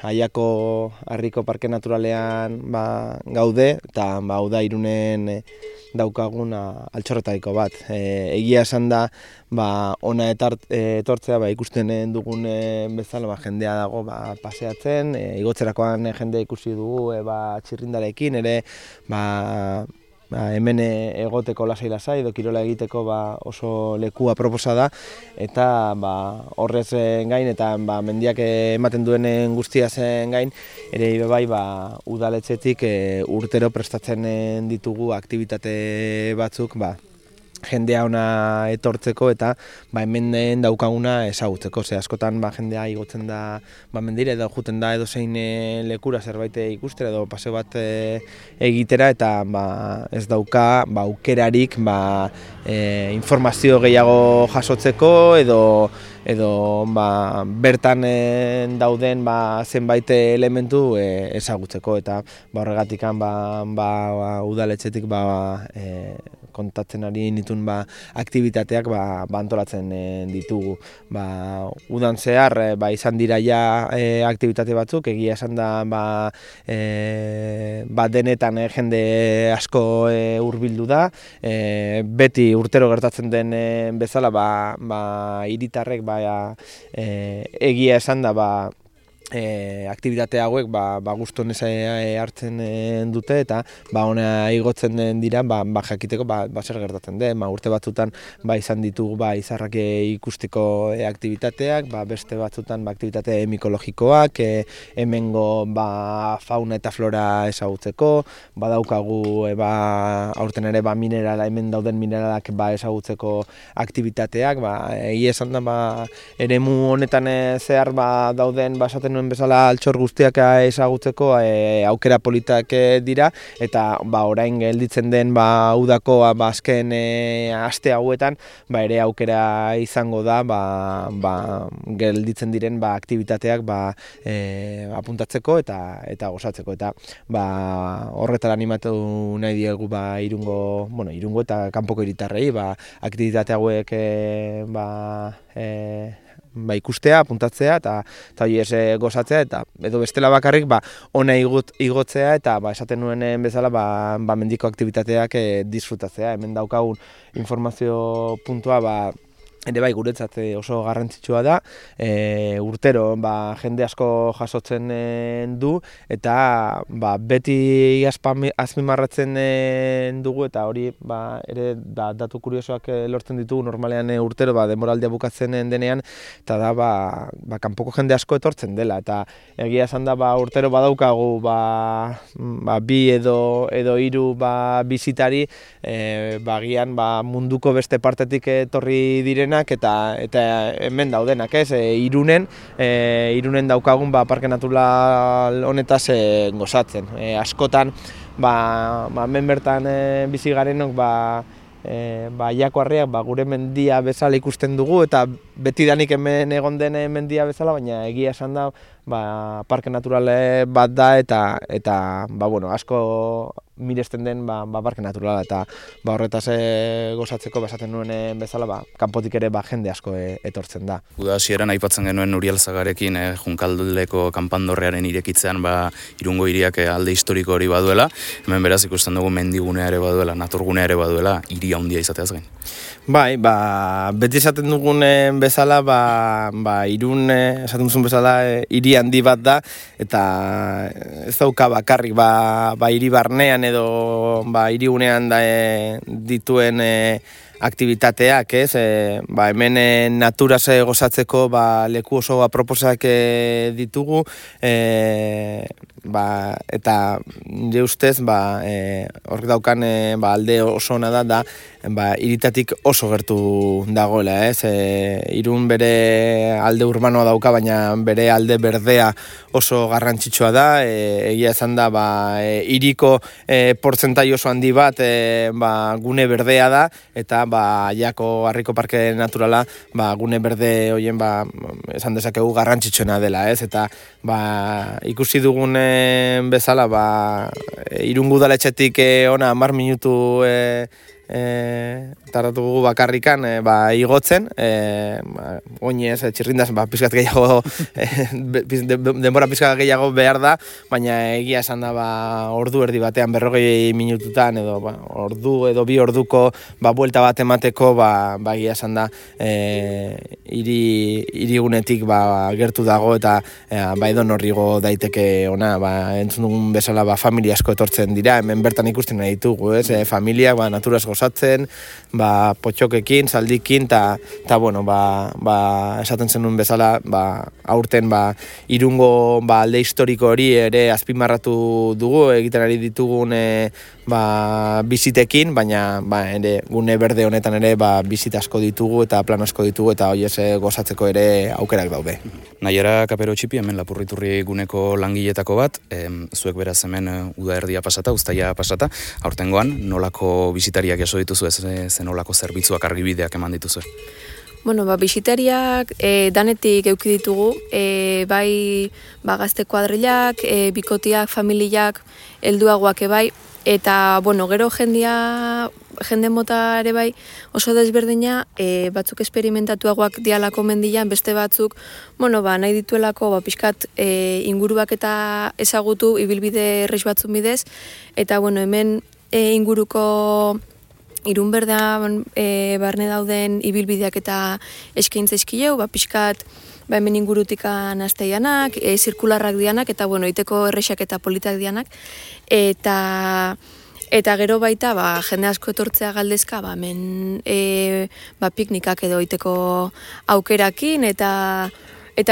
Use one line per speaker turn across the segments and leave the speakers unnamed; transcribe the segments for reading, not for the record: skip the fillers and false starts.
Aiako Harriko Parke Naturalean gaude, eta hau da Irunen daukagun altxorretariko bat. Egia esan da, ona etortzea ikusten dugun bezala jendea dago paseatzen, igotzerakoan jendea ikusi dugu txirrindarekin, ere hemen egoteko lasai-lasai edo kirola egiteko oso leku aproposa da, eta horrez gain eta mendiak ematen duen guztia zen gain, ere bai udaletxetik urtero prestatzen ditugu aktibitate batzuk jendea ona etortzeko eta hemen daukaguna ezagutzeko. Askotan jendea igotzen da mendira edo juten da edozein lekura zerbait ikustera edo paseo bat egitera, eta ez dauka aukerarik informazio gehiago jasotzeko edo bertan dauden zenbait elementu ezagutzeko, eta horregatik udaletxetik kontatzen ari nituen aktibitateak antolatzen ditugu. Udan zehar izan dira ja aktibitate batzuk, egia esan da denetan jende asko hurbildu da, beti urtero gertatzen den bezala hiritarrek egia esan da aktibitate hauek gustonez hartzen dute, eta ona igotzen dira jakiteko zer gertatzen den. Urte batzutan izan ditugu izarrak ikusteko aktibitateak, beste batzutan aktibitate mikologikoak, hemengo fauna eta flora ezagutzeko, badaukagu aurten ere hemen dauden mineralak ezagutzeko aktibitateak, egia esan da eremu honetan zehar dauden esaten nuen bezala altxor guztiak ezagutzeko aukera politak dira, eta orain gelditzen den udako azken aste hauetan ere aukera izango da gelditzen diren aktibitateak apuntatzeko eta gozatzeko, eta horretara animatu nahi diegu Irungo eta kanpoko hiritarrei aktibitate hauek ikustea, apuntatzea eta hori gozatzea, eta edo bestela bakarrik ona igotzea eta esaten nuen bezala mendiko aktibitateak disfrutatzea. Hemen daukagun informazio puntua ere guretzat oso garrantzitsua da, urtero jende asko jasotzen du, eta beti azpimarratzen dugu, eta hori ere datu kuriosoak lortzen ditugu normalean urtero denboraldia bukatzen denean, eta da kanpoko jende asko etortzen dela, eta egia esan da urtero badaukagu bi edo hiru bisitari gian munduko beste partetik etorri direnak, eta hemen daudenak, Irunen daukagun parke natural honetaz gozatzen. Askotan hemen bertan bizi garenok Aiako Harriak gure mendia bezala ikusten dugu, eta betidanik hemen egon den mendia bezala, baina egia esan da parke natural bat da, eta asko miresten den parke naturala, eta horretaz gozatzeko esaten nuen bezala kanpotik ere jende asko etortzen da.
Uda hasieran aipatzen genuen Uriel Zagarekin Junkaldeko kanpandorrearen irekitzean Irungo hiriak alde historiko hori baduela, hemen beraz ikusten dugu mendigunea ere baduela, naturgunea ere baduela, hiri handia izateaz gain.
Bai, beti esaten dugun bezala, Irun esaten duzun bezala hiri handi bat da, eta ez dauka bakarrik hiri barnean edo hirigunean dituen aktivitateak, hemen naturaz gozatzeko leku oso aproposak ditugu, eta nire ustez horrek daukan alde oso ona da hiritatik oso gertu dagoela, Irun bere alde urbanoa dauka, baina bere alde berdea oso garrantzitsua da, egia esan da hiriko portzentai oso handi bat gune berdea da, eta Aiako Harriko Parke Naturala gune berde horien esan dezakegu garrantzitsuena dela, eta ikusi dugun bezala Irungo udaletxetik ona 10 minutu tardatu dugu bakarrikan igotzen, oinez, txirrindaz, pizkat gehiago, denbora pizkat gehiago behar da, baina egia esan da ordu erdi batean 40 minututan, edo ordu edo 2 orduko buelta bat emateko, egia esan da hirigunetik gertu dago eta edo norrigo daiteke ona, entzun dugun bezala familia asko etortzen dira, hemen bertan ikusten nahi ditugu, familiak naturaz gozatzen, potxokekin, zaldikin, eta bueno, esaten zenuen bezala, aurten Irungo alde historiko hori ere azpimarratu dugu, egiten ari ditugun bizitekin, baina ere gune berde honetan ere bizita asko ditugu eta plan asko ditugu eta hori gozatzeko ere aukerak daude.
Naiara Kapero Txipi, hemen Lapurriturri guneko langiletako bat, zuek beraz hemen uda erdia pasata, uztaia pasata, aurtengoan nolako bisitariak jaso dituzu, ze nolako zerbitzuak argibideak eman dituzu?
Bueno, bisitariak danetik euki ditugu, bai gazte kuadrilak, bikotiak, familiak, helduagoak bai, eta bueno, gero jende mota ere bai oso desberdina, batzuk esperimentatuagoak dialako mendian, beste batzuk, bueno, nahi dituelako pixkat inguruak eta ezagutu ibilbide errex batzun bidez, eta bueno, hemen inguruko Irun berdean barne dauden ibilbideak eta eskaintza izkileu, pixkat hemen ingurutikan asteianak, zirkularrak dianak, eta bueno, iteko errexak eta politak dianak, eta gero baita jende asko etortzea galdezka hemen piknikak edo iteko aukerakin, eta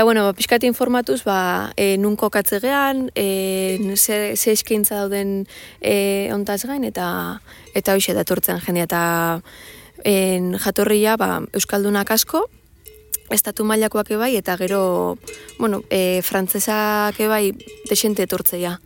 bueno, pixkat informatuz, nun kokatzegean, ze eskaintza dauden ontaz gain, eta hoxe da etortzen jendea, eta jatorria Euskaldunak asko, estatu mailakoak ebai, eta gero, bueno, frantzesak ebai desente etortzea.